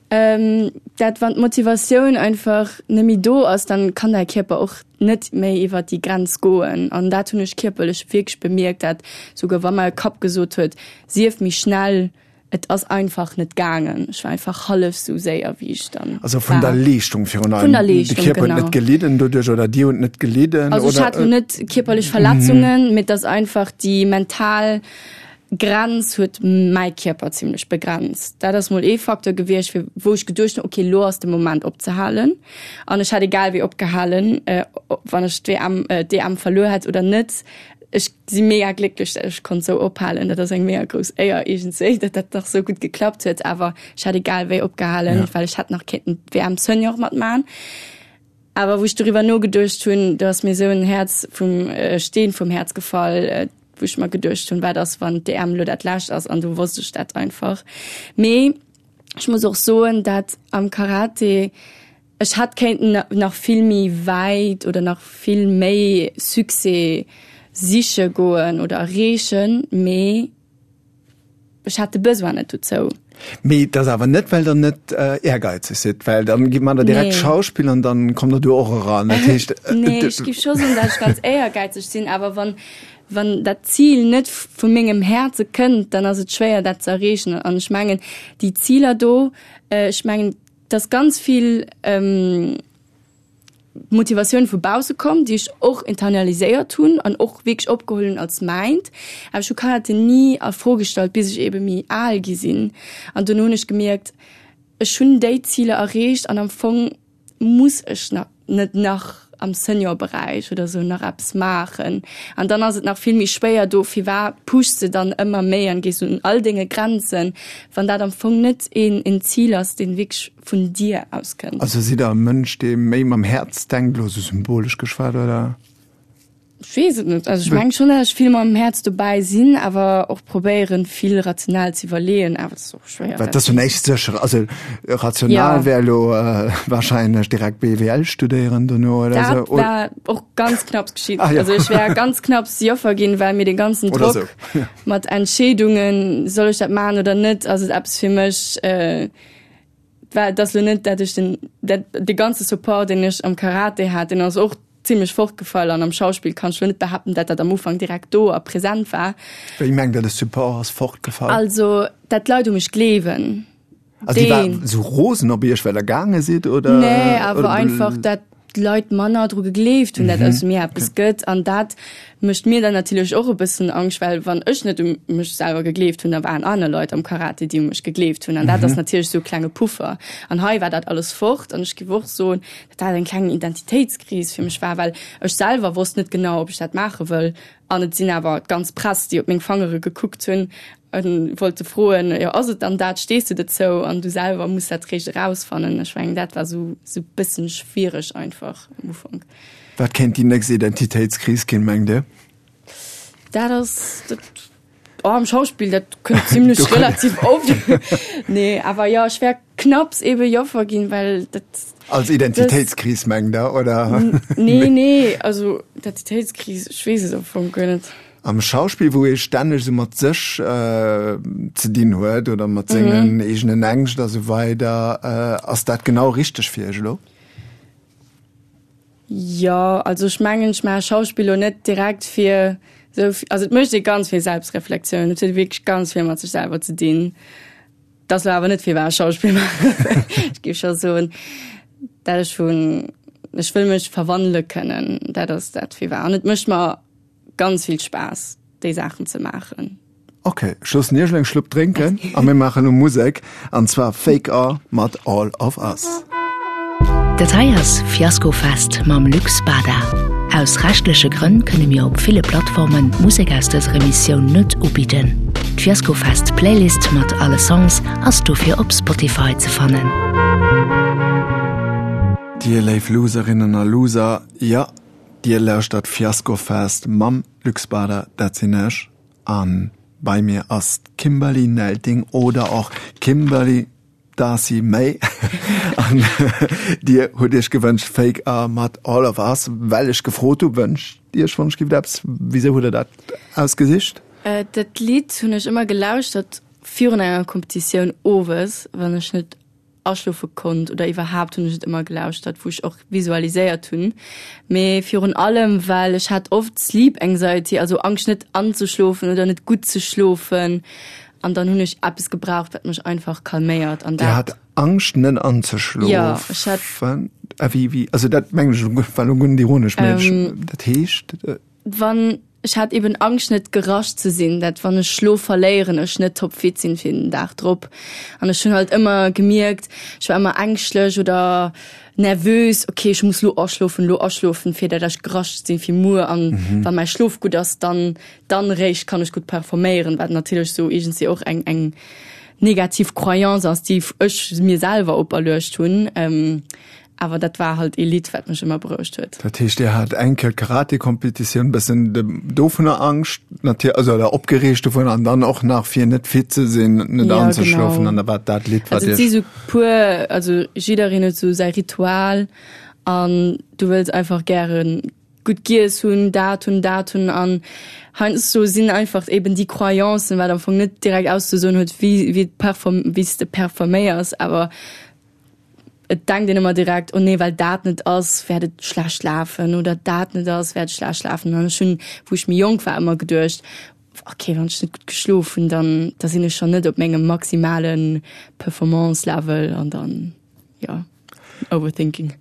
Ähm, dat wann d'Motivatioun einfach net méi do ass, dann kann däi Kierper och net méi iwwer déi Grenz goen. An dat hunn ech kierperlech wierklech bemierkt, dat souguer wa mäi Kapp gesot huet, sief méi schnell, Et ass einfach net gaangen. Ech war einfach hallef sou séier wéi ech dann Also vun der war. Leeschtung virun Vun allem. der De Leeschtung, Kierper huet genau. net gelidden doduerch oder Dir hutt net gelidden Also ech oder? hat lo net kierperlech Verletzungen, mee et ass einfach déi mental Grenz huet mäi Kierper zimlech begrenzt. Dat ass mol ee Facteur gewiescht, fir wou ech geduecht hunn, okay, lo ass de Moment opzehalen. An ech hätt egal wéi opgehalen, wann ech d'W M, d'E M verluer hätt oder net. Ech si mega glécklech, dat ech konnt sou ophalen. Dat ass eng mega grouss Éier iergendswéi, dat dat nach sou gutt geklappt huet. Awer ech hätt egal wéi opgehalen, Ja. well ech hätt nach kéinten d'W M Senior matmachen. Awer wou ech doriwwer nogeduecht hunn, do ass mir sou en Häerz vum äh, Steen vum Häerz gefall, äh, wou ech mer geduecht hunn, wat ass, wann d'E M lo dat lescht ass, an du wosst ech dat einfach. Mee ech muss och soen, dat am Karate ech hätt kéinten nach vill méi wäit oder nach vill méi Succès siche goen oder erreechen, mee ech hat de Besoin net dozou. Mee dat ass awer net, well der net ehrgeizeg sidd, well dann gitt man der direkt Nee. Schauspill an dann kommt der do och eran. Dat heescht, Nee, ech giff scho soen, dat ech ganz éiergeizeg sinn, awer wann, wann dat Zil net vu mengem Häerze kënnt, dann ass et schwéier dat ze erreechen. An ech mengen, déi Ziler do, ech mengen, dass ganz vill ähm, Motivatioun vu bausse komm, déi ech och internaliséiert hunn an och wierklech opgeholl hunn als mäint. Awer ech hu Karate ni a Fro gestallt, bis ech ebe méi al gi sinn. An dunn hunn ech gemierkt, ech hunn déi Ziler erreecht an am Fong muss ech na net nach am Seniorberäich oder sou nach eppes maachen. An dann ass et nach vill méi schwéier do, firwat pushs de dann ëmmer méi an gees un all denge Grenzen, wann dat am Fong net een, een Zil ass, deen wierklech vun dir auskënnt. Also sidd Der e Mënsch, dee méi mam Häerz denkt, elo sou symbolesch geschwat, oder? Ech weess et net. Also ech mengen schonn, datt ech vill mam Häerz dobäi sinn, awer och probéieren, vill rational ze iwwerleeën, awer et ass och schwéier. Well dat ass jo näischt sécher. Also rational Ja. wär elo wahrscheinlech direkt B W L studéieren dono oder Dat sou. war och ganz knapps geschitt. Ah, ja. Also ech wär ganz knapps Joffer ginn, well mir dee ganzen Oder Drock sou. Ja. mat Entscheedungen, soll ech dat maachen oder net, ass et eppes fir mech, äh, war dat ass lo net, dat ech den, dat, de ganze Support, deen ech am Karate hat, deen ass och zimmlech fortgefall an am Schauspill kann ech lo net behaapten, dat dat am Ufank direkt do a präsent war. Wéi mengt Der, de Support ass fortgefall? Also, dat d'Leit u mech gleewen. Also déi Deen. waren sou rosen op Iech, well Der gaange sidd, oder? Nee, awer oder einfach, dat d'Leit manner dru gegleeft hunn, dat aus mir eppes gëtt. An dat mécht mir dann natierlech och e bëssen Angscht, well wann ech net u mech selwer gegleeft hunn, da waren aner Leit am Karate, déi u mech gegleeft hunn. An dat ass natierlech sou e klenge Puffer. An hei war dat alles fort. An ech géif och soen, dat dat eng kleng Identitéitskris fir mech war, well ech selwer wosst net genau, ob ech dat maache wëll. An et sinn awer d'ganz Press, déi op meng Fangere gekuckt hunn an wollte froen, jo, ass et dann dat, stees du dozou? An du selwer muss dat réischt erausfannen. Ech mengen, dat war sou, sou bëssen schwiereg einfach am Ufank. Wat kéint déi nächst Identitéitskris ginn, mengt Dir? Dat ass, dat, oh, am Schauspill, dat kënnt zimmlech relativ oft. Nee, awer jo, ech wär knapps ebe Joffer ginn, well dat Als Identitéitskris, mengt Der, oder? Nee, nee, also Identitéitskris, ech weess et am Fong guer net. Am Schauspill, wou ee stänneg sou mat sech ze dinn huet oder mat sengen eegenen Ängscht a sou weider, ass dat genau richteg fir Iech elo? Jo, also ech mengen, ech maache Schauspill elo net direkt fir sou, also et mécht ee ganz vill Selbstreflexioun, et huet wierklech ganz vill mat sech selwer ze dinn. Dat ass elo awer net firwat ech Schauspill maachen. Ech géif scho soen, dat ech vun, ech wëll mech verwandele kënnen, dat ass dat firwat. An et mécht mer ganz vill Spaass, déi Saachen ze maachen. Ok, ech loossen Iech elo eng Schlupp drénken a mir maachen elo Musek, an zwar Fake A mat All of Us. Dat hei ass Fiaskofest mam Luc Spada. Aus rechtleche Grënn kënne mir op ville Plattformen d'Musek aus dëser Emissioun net ubidden. D'Fiaskofest Playlist mat alle Songs ass dofir op Spotify ze fannen. Dir léif Loserinnen a Loser, jo, dir lauschtert Fiaskofest mam Luc Spada, dat sinn ech, an bei mir ass d'Kimberly Nelting oder och Kimberly Darcy May. An dir hutt iech gewënscht Fake A mat All of Us, well ech gefrot hu wënscht iech wann ech giff eppes. Wisou hutt der dat ausgesicht? Dat Lidd hunn ech ëmmer gelauschtert virun enger Kompetitioun owes, wann ech net aschlofe konnt oder iwwerhaapt hunn ech et ëmmer gelauschtert, wou ech och visualiséiert hunn. Mee virun allem, well ech hat oft Sleep Anxiety, also Angscht net anzeschlofen oder net gutt ze schlofen. An dann hunn ech eppes gebraucht, wat mech einfach calméiert. An Dir dat hat Angscht net anzeschlofen? Ja, ech hat Äh, wéi, wéi, also dat mengen ech elo, war elo guer net ironesch, mee ech, Ähm, dat heescht? Wann ech hat eben Angscht net gerascht ze sinn, dat wann ech Schlof verléieren, ech net topfit sinn fir den Dag drop. An ech hunn halt ëmmer gemierkt, ech war ëmmer ängschtlech oder nervös, okay, ech muss lo aschlofen, lo aschlofen, fir dat ech gerascht sinn fir muer an mhm. wann mäi Schlof gutt ass, dann dann réischt kann ech gutt performéieren, wat natierlech sou iergendwéi och eng eng negativ Croyance ass, déi ech mir selwer operluecht hunn. Ähm, awer dat war halt ee Lidd, wat mech ëmmer berouegt huet. Dat heescht, Dir hat eng Kéier d'Karate-Kompetitioun, bëssen dovunner Angscht, natierlech, also oder opgereegt dovunner an dann och nach fir net fit ze sinn, net Ja, anzeschlofen genau. an da war dat Lidd, wat Also et si Iech. sou puer, also jiddereen huet sou säi Ritual an du wëlls einfach gäre gutt giess hunn, dat hunn, dat hunn an heiansdo sinn einfach eben déi Croyancen, wat am Fong net direkt auszesoen huet, wéi wéi perform wéi s de performéiers, awer et denkt een ëmmer direkt, oh nee, well dat net ass, wäert et schlecht lafen oder dat net ass, wäert et schlecht lafen. An ech hunn, wou ech méi jonk war, ëmmer geduecht, okay, wann ech net gutt geschlof hunn, dann da sinn ech schonn net op mengem maximale Performance-Level an dann, jo, Overthinking.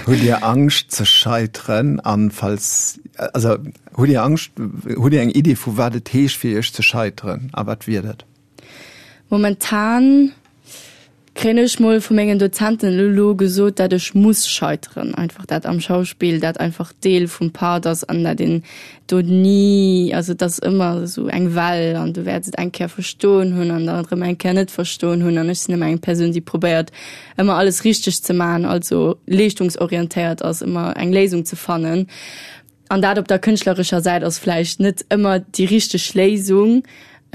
Hutt Dir Angscht ze scheiteren an falls, also hutt Dir Angscht, hutt Dir eng Iddi vu wat et heescht fir Iech ze scheiteren a wat wier dat? Momentan kréien ech mol vu mengen Dozenten elo gesot, dat ech muss scheiteren, einfach dat am Schauspill dat einfach Deel vum Part ass an dat een do ni, also et ass ëmmer esou eng Well an du wäerts et eng Kéier verstoen hunn an dann erëm eng Kéier net verstoen hunn an ech sinn ëmmer eng Persoun, déi probéiert ëmmer alles richteg ze maachen, also leeschtungsorientéiert ass, ëmmer eng Léisung ze fannen. An dat op der kënschtlerescher Säit ass vläicht net ëmmer déi richteg Léisung.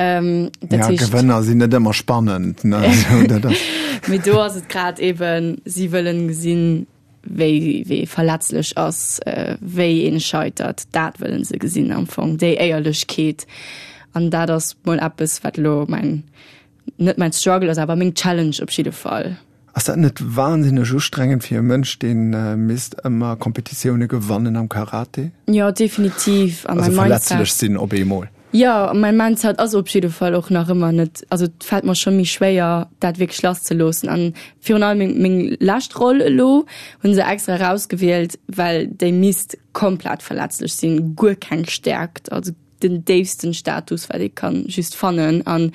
Ähm, dat Ja, heescht, Gewënner sinn net ëmmer spannend, ne? Also, dat ass. Mee do ass et grad eben, si wëllen gesinn, wéi, wéi ee verletzlech ass, äh, wéi een scheitert. Dat wëllen se gesinn am Fong, déi Éierlechkeet. An dat ass mol eppes, wat elo mäin, net mäin Struggle ass, awer meng Challenge op jidde Fall. Ass dat net wahnsinneg ustrengend fir e Mënsch, deen misst ëmmer Kompetitioune gewannen am Karate? Jo, definitiv. An Also mäin verletzlech Mindset. sinn op eemol. Jo, an mäin Mindset ass op jidde Fall och nach ëmmer net, also et fält mer scho méi schwéier, dat wierklech lasszeloossen. An virun allem meng, meng lescht Roll elo hu se extra erausgewielt, well déi misst komplett verletzlech sinn, guer keng Stäerkt, also den déifsten Status wat ee kann just fannen an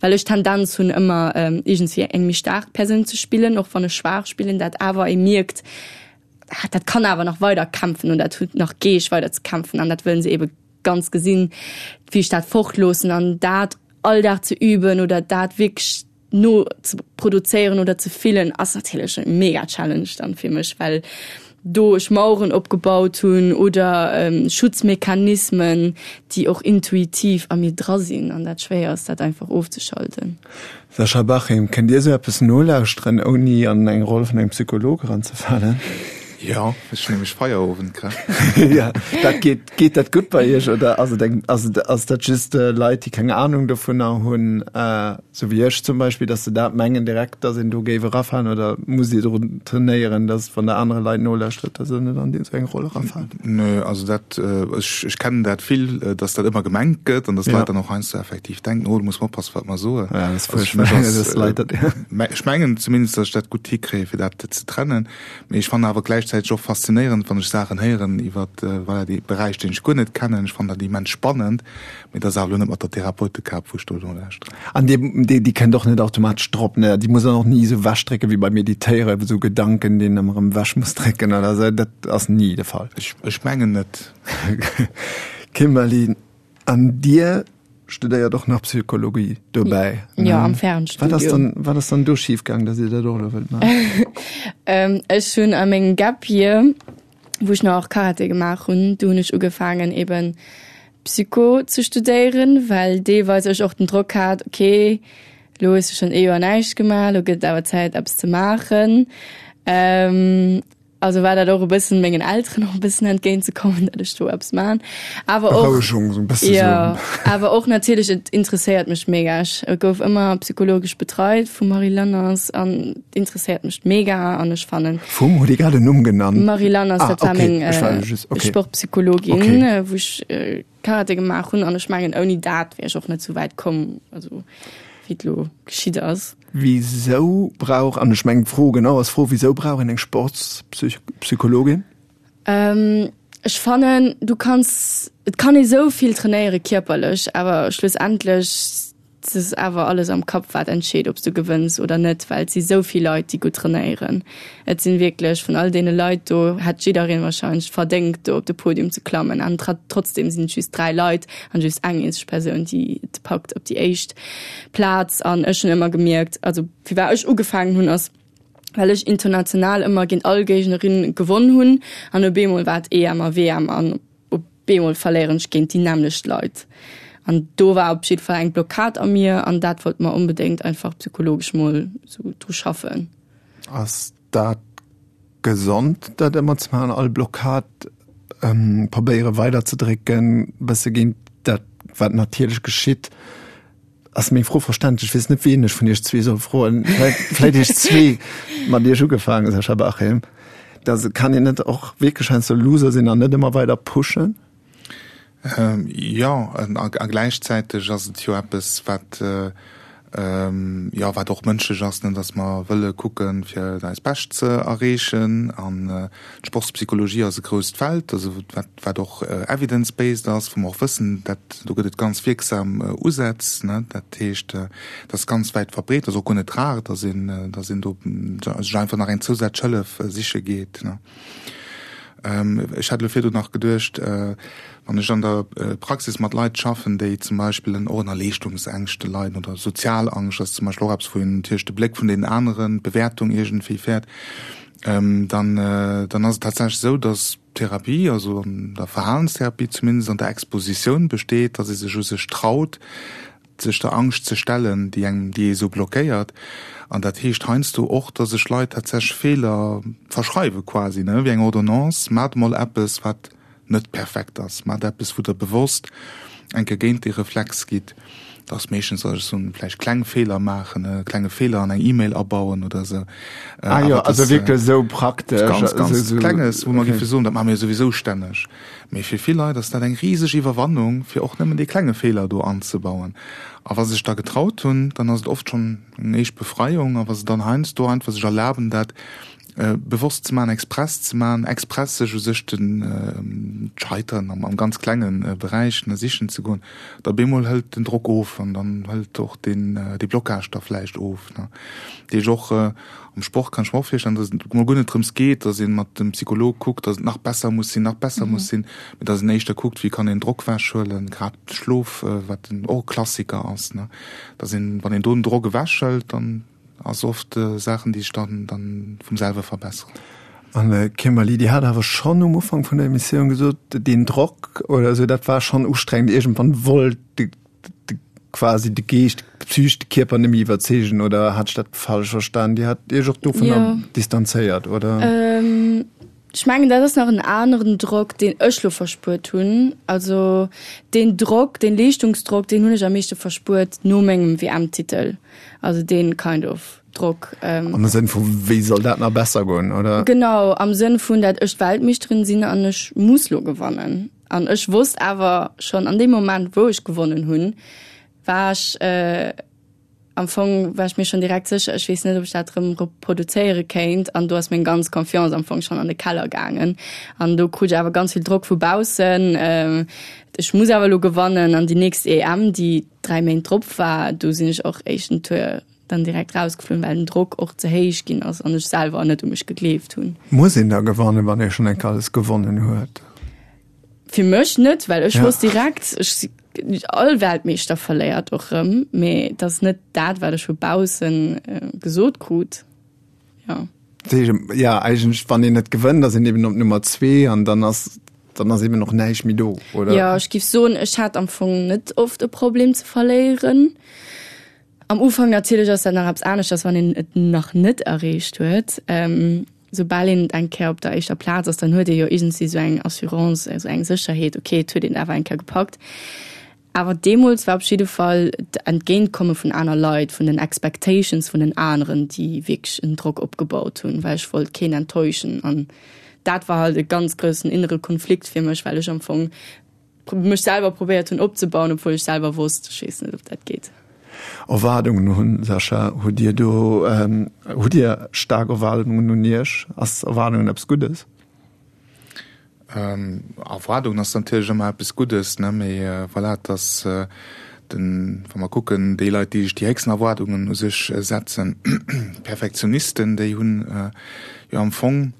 well ech Tendenz hunn ëmmer iergendswéi eng méi staark Persoun ze spillen, och wann ech schwaach spillen, dat awer ee mierkt, ah dat kann awer nach weider kämpfen und dat huet nach Geescht weider ze kämpfen an dat wëllen se ebe ganz gesinn, wéi ech dat fortloossen an dat all Dag ze üben oder dat wierklech no ze produzéieren oder ze fillen ass natierlech e mega Challenge dann fir mech, well do ech Maueren opgebaut hunn oder Schutzmechanismen, déi och intuitiv a mir dra sinn an dat schwéier ass, dat einfach ofzeschalten. Sascha Bachim, Kënnt Dir esou eppes nolauschteren, ouni an eng Roll vun engem Psycholog eranzefalen? Jo, ech hunn nämlech Feierowend grad. Ja, dat geet. Geet dat gutt bei Iech oder ass et eng, ass et, ass dat just Leit, déi keng Anung dovunner hunn, sou wéi ech zum Beispill, datt se dat mengen direkt, datt een do géif erafalen oder musst Dir drun trainéieren, datt wann Der anere Leit nolauschtert, datt Der net an esou eng Roll erafaalt? Nö, also dat, ech, ech kennen dat vill, datt dat ëmmer gemengt gëtt an datt Leit dann och heiansdo effektiv denken, oh do muss mer oppassen, wat mer soen. Ja, dat ass fuerchtbar, datt Leit dat, ja. Ech mengen zumindest, datt ech dat gutt hikréien, fir dat ze trennen. Mee ech fannen awer gläichzäiteg och faszinéierend, wann ech Saachen héieren iwwer, voilà, dee Beräich, deen ech guer net kennen. Ech fannen dat immens spannend, mee dat ass awer elo net mat der Therapeutekap, wou ech do nolauschteren. An déi, déi, déi kënnt och net automatesch drop, ne? Déi muss een och ni esou ewechdrécken wéi beim Meditéieren, esou Gedanken, déi een ëmmer erëm ewech muss drécken oder esou. Dat ass ni de Fall. Ech, ech mengen net. Kimberly, an Dir studéiert och nach Psychologie dobäi? Jo, am Fernstudium. Wat ass dann, wat ass dann do schif gaang, dass Dir dat och elo wëllt maachen? Ech hunn a mengem Gap Year, wou ech nach Karate gemaach hunn, do hunn ech ugefaangen eben Psycho ze studéieren, well deelweis ech och den Drock hat, okay, elo hues de schonn ee Joer näischt gemaach, elo gëtt et awer Zäit eppes ze maachen. Also war dat och e bëssen mengen Elteren och e bëssen entgéint ze kommen, datt ech do eppes man. Awer och Berouegung, sou e bësse jo, sou. awer och natierlech, et interesséiert mech mega. Ech gouf ëmmer psychologesch betreit vum Marie Lanners an et interesséiert mech mega an ech fannen. Vum? Hutt Dir grad en Numm genannt? Marie Lanners, Ah, dat war okay, meng ech war just, okay. Sportpsychologin, Okay. wou ech Karate gemaach hunn an ech mengen ouni dat wär ech och net sou wäit komm, also wéi et lo geschitt ass. Wisou brauch, an ech mengen d'Fro genau ass d'Fro, wisou brauch een eng Sportspsychologin? Ech fannen, du kanns, et kann ee sou vill trainéiere kierperlech, awer schlussendlech Et ass awer alles am Kapp wat entscheet, ob s du gewënns oder net, well et si sou vill Leit, déi gutt trainéieren. Et sinn wierklech, vun all deene Leit do hätt jiddereen wahrscheinlech verdéngt do op de Podium ze klammen an trotzdem sinn et just dräi Leit an just eng eenzeg Persoun, déi et packt op déi éischt Plaz. An ech hunn ëmmer gemierkt, also firwat ech ugefaangen hunn, ass well ech international ëmmer géint all Géignerin gewonn hunn an op eemol war et E M a W M an op eemol verléieren ech géint déi nämmlecht Leit. An do war op jidde Fall eng Blockad a mir an dat wollt mer onbedéngt einfach psychologesch mol sou dru schaffen. Ass dat gesond, dat ëmmer ze maachen, all Blockad probéiere weiderzedrécken, bësse géint dat, wat natierlech geschitt? Ass meng Fro verständlech? Ech weess net, wien ech vun iech zwee soll froen. Vläicht iech zwee, mat iech ugefaangen, Sascha Bachem. Da kann een net och wierklech heiansdo Loser sinn an net ëmmer weider pushen? Jo, a gläichzäiteg ass et jo eppes, wat, jo, wat och mënschlech ass, ne, datt mer wëlle kucken, fir eist Bescht ze erreechen. An d'Sportspsychologie ass e grousst Feld, also wat, wat och evidence-based ass, wou mer och wëssen, dat do gëtt et ganz wierksam Usätz, ne. Dat heescht, dat ass ganz wäit verbreet, ass och guer net rar, datt een, datt een do sech einfach nach eng zousätzlech Hëllef siche geet, ne. Ech hat elo virdu nach geduecht, wann ech an der Praxis mat Leit schaffen, déi zum Beispill och ënner Leeschtungsängschte leiden oder Sozialangscht ass zum Beispill och eppes, wou een natierlech de Bléck vun deenen aneren, d'Bewäertung iergendwéi fäert, dann, dann ass et tatsächlech esou, dass d'Therapie, also an der Verhalenstherapie zumindest, an der Expositioun besteet, dass ee sech u sech traut, sech der Angscht ze stellen, déi engem, déi ee sou blockéiert. An dat heescht heiansdo och, dass sech Leit tatsächlech Feeler verschreiwe quasi, ne, wéi eng Ordonnance, Maacht emol eppes, wat net perfekt ass, maacht eppes, wou Der bewosst eng Kéier géint dee Reflex gitt. Dat ass meeschtens, dass ech soen, vläicht kleng Feeler maachen, e klenge Feeler an eng E-Mail abauen oder esou. Ah jo, also wierklech esou praktesch. Ganz, ganz Klenges, wou mer géife soen, dat maache mir jo souwisou stänneg. Mee fir vill Leit ass dat eng riseg Iwwerwannung, fir och nëmmen dee klenge Feeler do anzebauen. A wa se sech da getraut hunn, dann ass et oft schonn eng éischt Befreiung. A wa se dann heiansdo einfach sech erlaben, dat bewosst ze maachen, express ze maachen, express sech u sech den d'Scheitern am ganz klenge Beräich sichen ze goen, da bemol hëlt den Drock of an dann hëlt och deen dee Blocage da vläicht of. Dat heescht och am Sport kann ech mer och virstellen, datt et mol guer net drëms geet, datt ee mat dem Psycholog kuckt, datt et nach besser muss sinn, nach besser muss sinn, mee datt een éischter kuckt, wéi kann een Drock ewechhuelen, grad Schlof, wat och e Klassiker ass, ne, datt een, wann een do den Drock ewechhëlt, dann ass oft Saachen, déi sech dann dann vum selwe verbesseren. An Kimberly, Dir hat awer schonn um Ufank vun der Emissioun gesot, deen Drock oder esou, dat war schonn ustrengend, iergendwann wollt de de quasi de Geescht, d'Psych, de Kierper net méi iwwerzeegen, oder hat ech dat falsch verstan? Dir hat Iech och dovunner distanzéiert, oder? Ech mengen, dat ass nach en aneren Drock, deen ech lo verspuert hunn. Also deen Drock, deen Leeschtungsdrock, deen hunn ech am meeschte verspuert no mengem W M-Titel. Also deen kind of Drock. Am Sënn vu wéi soll dat nach besser goen, oder? Genau, am Sënn vun, dat ech d'Weltmeeschterin sinn an ech muss lo gewannen. An ech wosst awer schonn an deem Moment, wou ech gewonnen hunn, war ech, am Fong war ech mir schonn direkt sécher, ech weess net, ob ech dat erëm reproduzéiere kéint. An do ass meng ganz Confiance am Fong schonn an de Keller gaangen. An do krut ech awer ganz vill Drock vu baussen. Ech muss awer elo gewannen. An déi nächst E M, déi dräi Méint drop war, do sinn ech och éischten Tour dann direkt rausgeflunn, well den Drock och ze héich ginn ass an ech selwer net u mech gegleeft hunn. Muss een da gewannen, wann ee schonn eng Kéier alles gewonnen huet? Fir mech net, well ech wosst direkt, ech si all Weltmeeschter verléiert och rëm, mee dat ass net dat, wat ech vu baussen gesot krut. Ja. Ja, eigentlech, wann een net gewënnt, ass een eben op Nummer zwee an dann ass, dann ass eben och näischt méi do, oder? Ja, ech géif soen, ech hat am Fong net oft e Problem ze verléieren. Am Ufank natierlech ass dat nach eppes aneschters, wann een et nach net erreecht huet. Soubal een eng Kéier op der éischter Plaz ass, dann huet ee jo iergendwéi esou eng Assurance, esou eng Sécherheet, okay, et huet een awer eng Kéier gepackt. Awer deemools war op jidde Fall d'Entgéintkomme vun aner Leit, vun den Expectations vun den aneren, déi wierklech en Drock opgebaut hunn, well ech wollt keen enttäuschen. An dat war halt e ganz groussen innere Konflikt fir mech, well ech am Fong mech selwer probéiert hunn opzebauen, obwuel ech selwer wosst, ech weess net, ob dat geet. Erwaardungen hunn, Sascha, hutt Dir do, hutt Dir staark Erwaardungen un Iech? Ass Erwaardungen eppes Guddes? Erwaardungen ass natierlech ëmmer eppes Guddes, ne, mee voilà, et ass, Den, wa mer kucken, déi Leit, déi sech déi héchsten Erwaardungen u sech setzen, Perfektionisten, déi hunn jo am Fong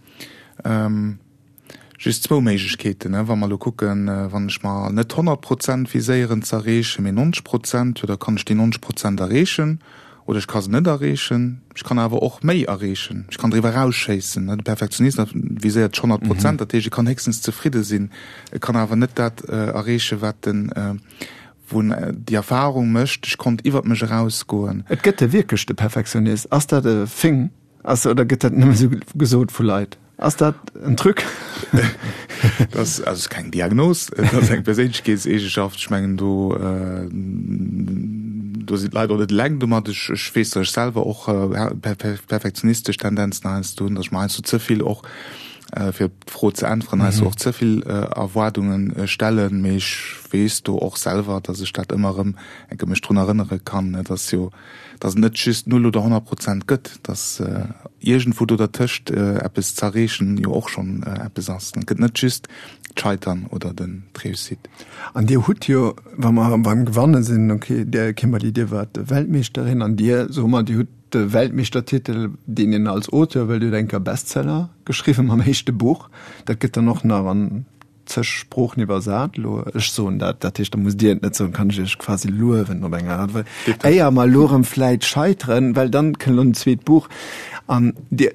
just zwou Méiglechkeeten. Wa mer elo kucken, wann ech mer net honnert Prozent viséieren ze erreechen, mee nonzeg Prozent, jo da kann ech déi nonzeg Prozent erreechen oder ech ka se net erreechen. Ech kann awer och méi erreechen, ech kann driwwer erausschéissen. De Perfektionist viséiert sech honnert Prozent, dat heescht, e kann héchstens zefridde sinn, e kann awer net dat erreechen, wat en wou en déi Erfahrung mécht, ech konnt iwwert mech erausgoen. Et gëtt e wierklech de Perfektionist. Ass dat e Thing? Ass, oder gëtt dat nëmme sou gesot vu Leit? Ass dat en Truc? Dat ass, also ass keng Diagnos, et ass eng Perséinlechkeetseegeschaft. Ech mengen do, do sinn d'Leit och net eleng domat. Ech, ech weess, datt ech selwer och perfektionistesch Tendenzen heiansdo hunn, datt ech mer heiansdo ze vill och, fir op d'Fro ze äntweren, heiansdo och ze vill Erwaardunge stellen. Mee ech weess do och selwer, datt ech dat ëmmer erëm eng Kéier mech drun erënnere kann, datt jo, datt et net just null oder honnert Prozent gëtt, datt iergendwou do dertëscht eppes z'erreechen jo och schonn eppes ass. Et gëtt net just d'Scheitern oder den d'Réussite. An Dir hutt jo, wa mer beim Gewanne sinn, okay, Dir Kimberly, Dir waart Weltmeeschterin an Dir, soe mer, Dir hutt de Weltmeeschtertitel, deen een als Auteur, well Dir hutt eng Kéier Bestseller geschriwwen mam éischte Buch, dat gëtt dann och nach an zeg Sproochen iwwersat elo. Ech soen dat, dat heescht, da musst Dir et net soen, kann ech Iech quasi luewen op eng Aart, well éier mer elo erëm vläit scheiteren, well dann kënnt elo en zweet Buch an Dir,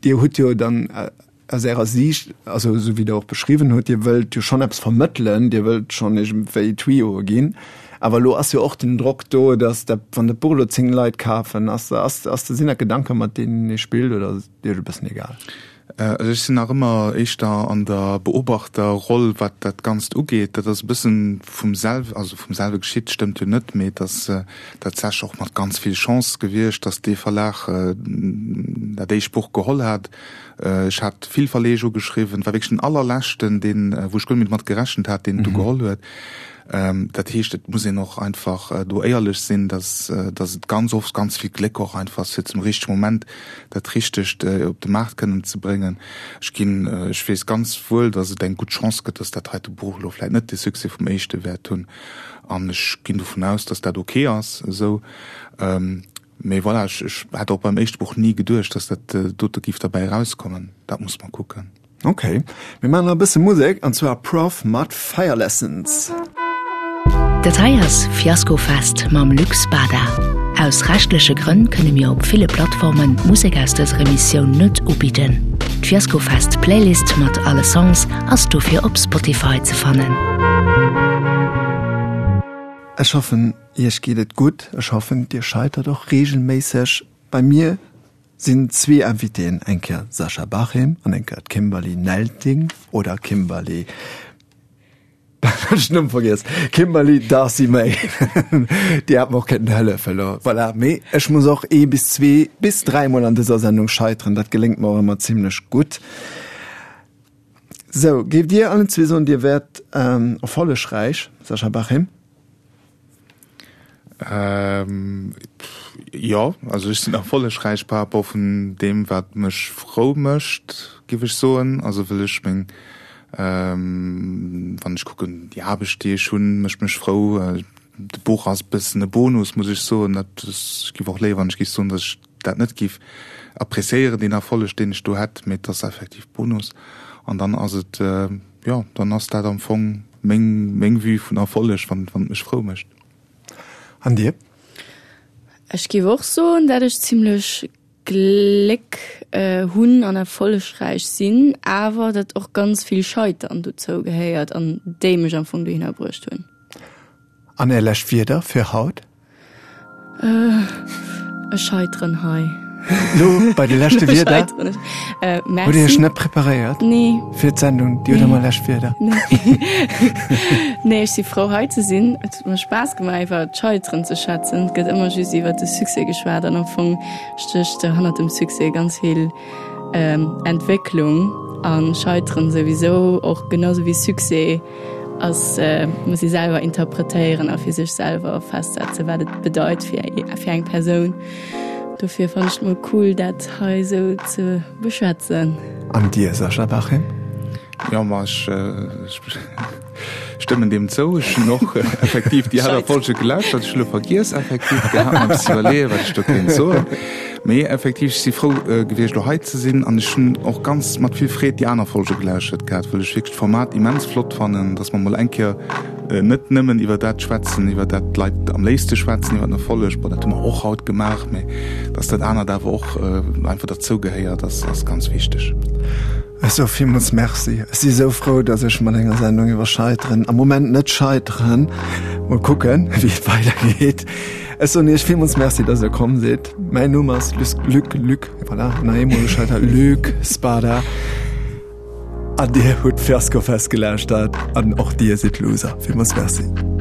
Dir hutt jo dann aus Ärer Siicht, also esou wéi Der och beschriwwen hutt, Dir wëllt jo schonn eppes vermëttelen, Dir wëllt schonn iergendwéi Tuyaue ginn, awer elo ass jo och den Drock do, datt dat, wann dat Buch elo zéng Leit kafen, ass, ass, ass, sinn dat Gedanken, mat deenen ee spillt oder ass et Iech e bëssen egal? Also ech sinn nach ëmmer éischter an der Beobachterroll, wat dat Ganzt ugeet. Dat ass e bëssen vum selw, also vum selwe geschitt, stëmmt jo net, mee et ass tatsächlech och mat ganz vill Chance gewiescht, datt dee Verlag dat éischt Buch geholl hat. Ech hat vill Verleeg ugeschriwwen, et war wierklech den allerleschten, deen, wou ech guer net méi domat gerechent hat, deen et du geholl huet. Dat heescht, et muss een och einfach do éierlech sinn, dass, dass et ganz oft ganz vill Gléck och einfach ass, fir zum richtege Moment dat Richtegt op de Maart kënnen ze bréngen. Ech ginn, ech weess ganz wuel, dass et eng gutt Chance gëtt, dass dat heite Buch elo vläicht net de Succès vum éischte wäert hunn. An ech ginn dovun aus, dass dat ok ass esou. Mee voilà, ech, ech hätt och beim éischte Buch ni geduecht, dass dat dote géif derbäi erauskommen. Dat muss mer kucken. Ok, mir maachen nach e bësse Musek, an zwar Prof mat Fire Lessons. Dat hei ass Fiaskofest mam Luc Spada. Aus rechtleche Grënn kënne mir op ville Plattformen d'Musek aus dëser Emissioun net ubidden. D'Fiaskofest Playlist mat alle Songs ass dofir op Spotify ze fannen. Ech hoffen iech geet et gutt, ech hoffen dir scheitert och regelméisseg. Bei mir sinn zwee Invitéen, eng Kéier Sascha Bachem an eng Kéier d'Kimberly Nelting oder Kimberly, ech den Numm vergiess, Kimberly Darcy Mae, déi hat mer och kéinten hëllefen elo, voilà. Mee ech muss och ee bis zwee bis dräi Mol an dëser Sendung scheiteren, dat geléngt mer och ëmmer zimlech gutt. Sou, géift Dir allen zwee soen, Dir wäert erfollegräich, Sascha Bachem? Ähm, jo, also ech sinn erfollegräich par rapport vun deem, wat mech frou mécht, géif ech soen. Also wëll ech meng, ähm, wann ech kucken, déi Aarbecht, déi ech hunn, mécht mech frou. De Buch ass e bëssen e Bonus, muss ech soen. Dat, ech géif och léiwer, wann ech géif soen, datt ech dat net géif appréciéieren, deen Erfolleg, deen ech do hätt, mee et ass effektiv Bonus. An dann ass et, jo, dann ass dat am Fong meng, meng Vue vun Erfolleg, wann, wann et mech frou mécht. An dir? Ech géif och soen, dat ech zimlech Gléck hunn an erfollegräich sinn, awer dat och ganz vill Scheitern dozou gehéiert an déi mech am Fong dohinner bruecht hunn. An är lescht Wierder fir haut? Ech scheiteren hei. Lo bei de leschte Wierder? Merci. Hutt Dir Iech net preparéiert? Nee. Fir d'Sendung? Dir hutt ëmmer lescht Wierder. Nee, ech si frou hei ze sinn. Et huet mer Spaass gemaach iwwer d'Scheiteren ze schwätzen. Et gëtt ëmmer just iwwer de Succès geschwat an am Fong stécht hannert dem Succès ganz vill Entwécklung a Scheiteren souwisou och, genau sou wéi Succès. Ass, muss ee selwer interpretéieren a fir sech selwer festsetzen, wat et bedeit fir fir eng Persoun. Dofir fannen ech et mol cool, dat hei esou ze beschwätzen. An dir, Sascha Bachem? Jo, ma ech, ech Stëmmen deem zou. Ech hunn och effektiv déi aner Folge gelauschtert. Ech hunn elo vergiess effektiv gehat, mer e bëssi iwwerleeën, wat ech do kéint soen. Mee effektiv, ech si frou gewiescht, elo hei ze sinn an ech hunn och ganz mat vill Freed déi aner Folge gelauschtert gehat, well ech wierklech d'Format immens flott fannen, dass mer mol eng Kéier net nëmmen iwwer dat schwätzen, iwwer dat d'Leit am léifste schwätzen, iwwer den Erfolleg, bon, dat hu mer och haut gemaach, mee dass dat anert awer och einfach derzou gehéiert, ass, ass ganz wichteg. Ech soe villmools Merci. Ech si sou frou, dass ech mat enger Sendung iwwer Scheiteren, am Moment net scheiteren, mol kucken, wéi et weidergeet. Ech soen Iech villmools Merci, dass Der komm sidd. Mäin Numm ass Luc, Luc, voilà, nach eemol gescheitert, Luc Spada. An Dir hutt Fiaskofest gelauschtert an och Dir sidd Loser. Villmools Merci.